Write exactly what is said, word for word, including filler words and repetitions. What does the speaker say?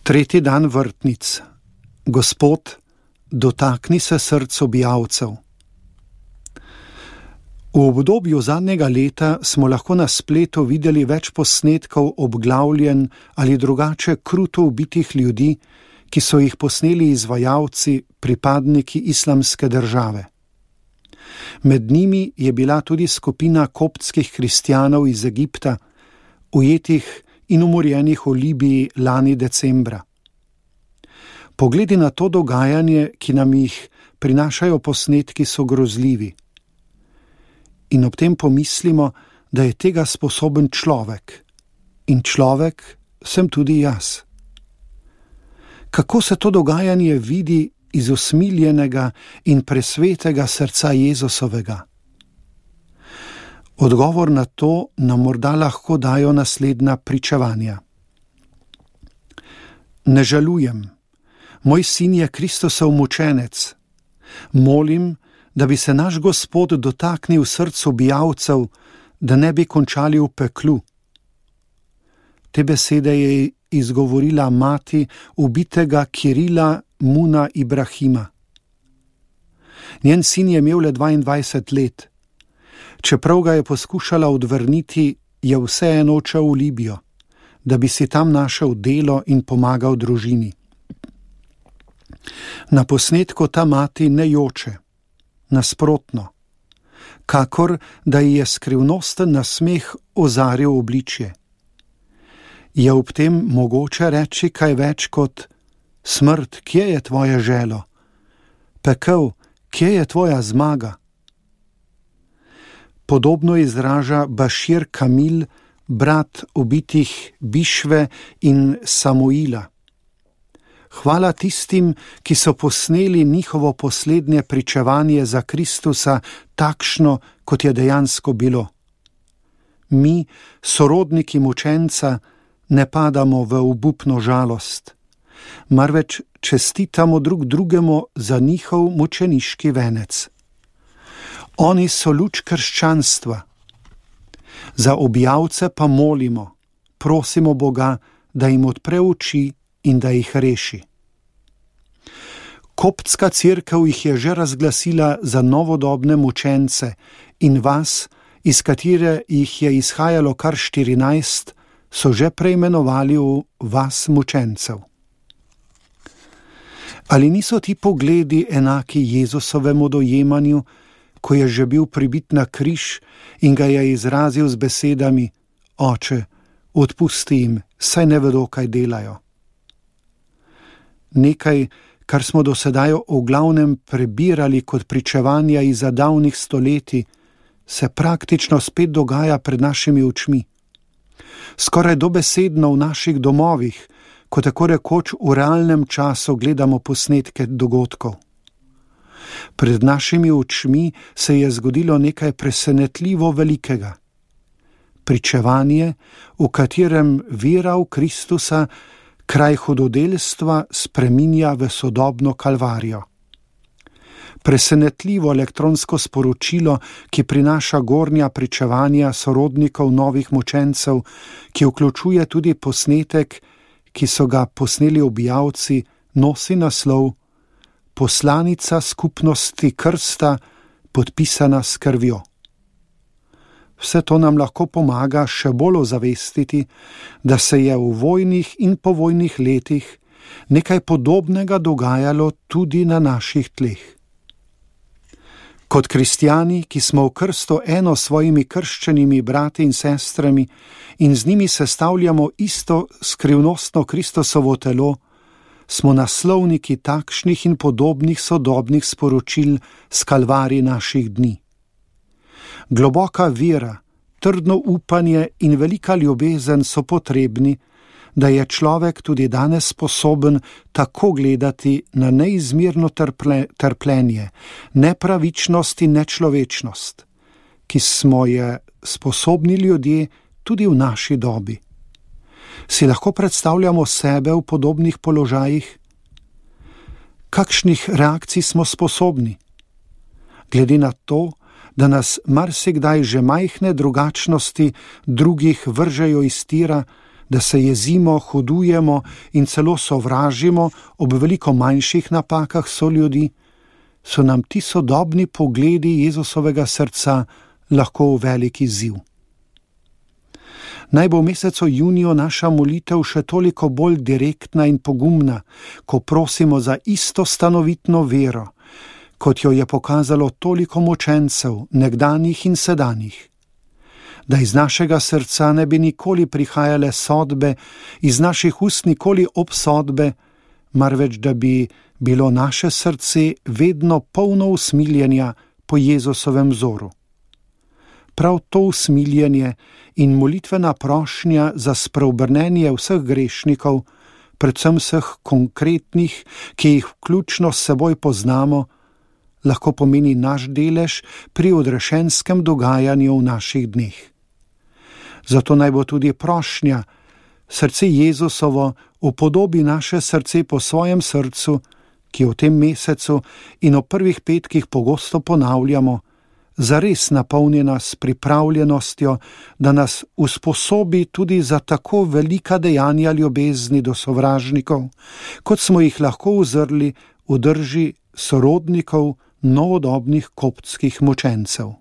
Tretji dan vrtnic. Gospod, dotakni se src objavcev. V obdobju zadnjega leta smo lahko na spletu videli več posnetkov obglavljen ali drugače kruto ubitih ljudi, ki so jih posneli izvajalci, pripadniki islamske države. Med njimi je bila tudi skupina koptskih kristjanov iz Egipta, ujetih in umorjenih v Libiji lani decembra. Pogledi na to dogajanje, ki nam jih prinašajo posnetki, so grozljivi. In ob tem pomislimo, da je tega sposoben človek. In človek sem tudi jaz. Kako se to dogajanje vidi iz usmiljenega in presvetega srca Jezusovega? Odgovor na to nam morda lahko dajo naslednja pričevanja. Ne žalujem. Moj sin je Kristusov mučenec. Molim, da bi se naš Gospod dotaknil src objavcev, da ne bi končali v peklu. Te besede je izgovorila mati ubitega Kirila Muna Ibrahima. Njen sin je imel le dvaindvajset let. Čeprav ga je poskušala odvrniti, je vseeno odšel v Libijo, da bi si tam našel delo in pomagal družini. Na posnetku ta mati ne joče, nasprotno, kakor da ji je skrivnosten nasmeh ozaril obličje. Je ob tem mogoče reči kaj več kot: smrt, kje je tvoje želo? Pekel, kje je tvoja zmaga? Podobno izraža Bašir Kamil, brat ubitih Bišve in Samuila. Hvala tistim, ki so posneli njihovo poslednje pričevanje za Kristusa takšno, kot je dejansko bilo. Mi, sorodniki mučenca, ne padamo v obupno žalost, marveč čestitamo drug drugemu za njihov mučeniški venec. Oni so luč krščanstva. Za objavce pa molimo, prosimo Boga, da jim odpre oči in da jih reši. Koptska cerkev jih je že razglasila za novodobne mučence in vas, iz katere jih je izhajalo kar štirinajst, so že preimenovali v vas mučencev. Ali niso ti pogledi enaki Jezusovemu dojemanju, ko je že bil pribit na križ in ga je izrazil z besedami: Oče, odpusti jim, saj ne vedo, kaj delajo. Nekaj, kar smo do sedaj v glavnem prebirali kot pričevanja iz davnih stoletij, se praktično spet dogaja pred našimi očmi. Skoraj dobesedno v naših domovih, ko tako rekoč v realnem času gledamo posnetke dogodkov. Pred našimi očmi se je zgodilo nekaj presenetljivo velikega. Pričevanje, v katerem vera v Kristusa kraj hudodelstva spreminja v sodobno kalvarijo. Presenetljivo elektronsko sporočilo, ki prinaša gornja pričevanja sorodnikov novih mučencev, ki vključuje tudi posnetek, ki so ga posneli objavci, nosi naslov Poslanica skupnosti krsta, podpisana s krvjo. Vse to nam lahko pomaga še bolj ozavestiti, da se je v vojnih in povojnih letih nekaj podobnega dogajalo tudi na naših tleh. Kot kristjani, ki smo v krsto eno s svojimi krščenimi brati in sestrami in z njimi sestavljamo isto skrivnostno Kristusovo telo, smo naslovniki takšnih in podobnih sodobnih sporočil s kalvarij naših dni. Globoka vera, trdno upanje in velika ljubezen so potrebni, da je človek tudi danes sposoben tako gledati na neizmerno trple, trpljenje, nepravičnost in nečlovečnost, ki smo je sposobni ljudje tudi v naši dobi. Si lahko predstavljamo sebe v podobnih položajih? Kakšnih reakcij smo sposobni? Glede na to, da nas marsikdaj že majhne drugačnosti drugih vržejo iz tira, da se jezimo, hudujemo in celo sovražimo ob veliko manjših napakah soljudi, so nam ti sodobni pogledi Jezusovega srca lahko velik izziv. Naj bo v mesecu juniju naša molitev še toliko bolj direktna in pogumna, ko prosimo za isto stanovitno vero, kot jo je pokazalo toliko mučencev, nekdanjih in sedanjih. Da iz našega srca ne bi nikoli prihajale sodbe, iz naših ust nikoli obsodbe, marveč da bi bilo naše srce vedno polno usmiljenja po Jezusovem vzoru. Prav to usmiljenje in molitvena prošnja za spreobrnenje vseh grešnikov, predvsem vseh konkretnih, ki jih vključno s seboj poznamo, lahko pomeni naš delež pri odrešenskem dogajanju v naših dneh. Zato naj bo tudi prošnja, srce Jezusovo upodobi naše srce po svojem srcu, ki v tem mesecu in v prvih petkih pogosto ponavljamo, zares napolnjena s pripravljenostjo, da nas usposobi tudi za tako velika dejanja ljubezni do sovražnikov, kot smo jih lahko uzrli v drži sorodnikov novodobnih koptskih mučencev.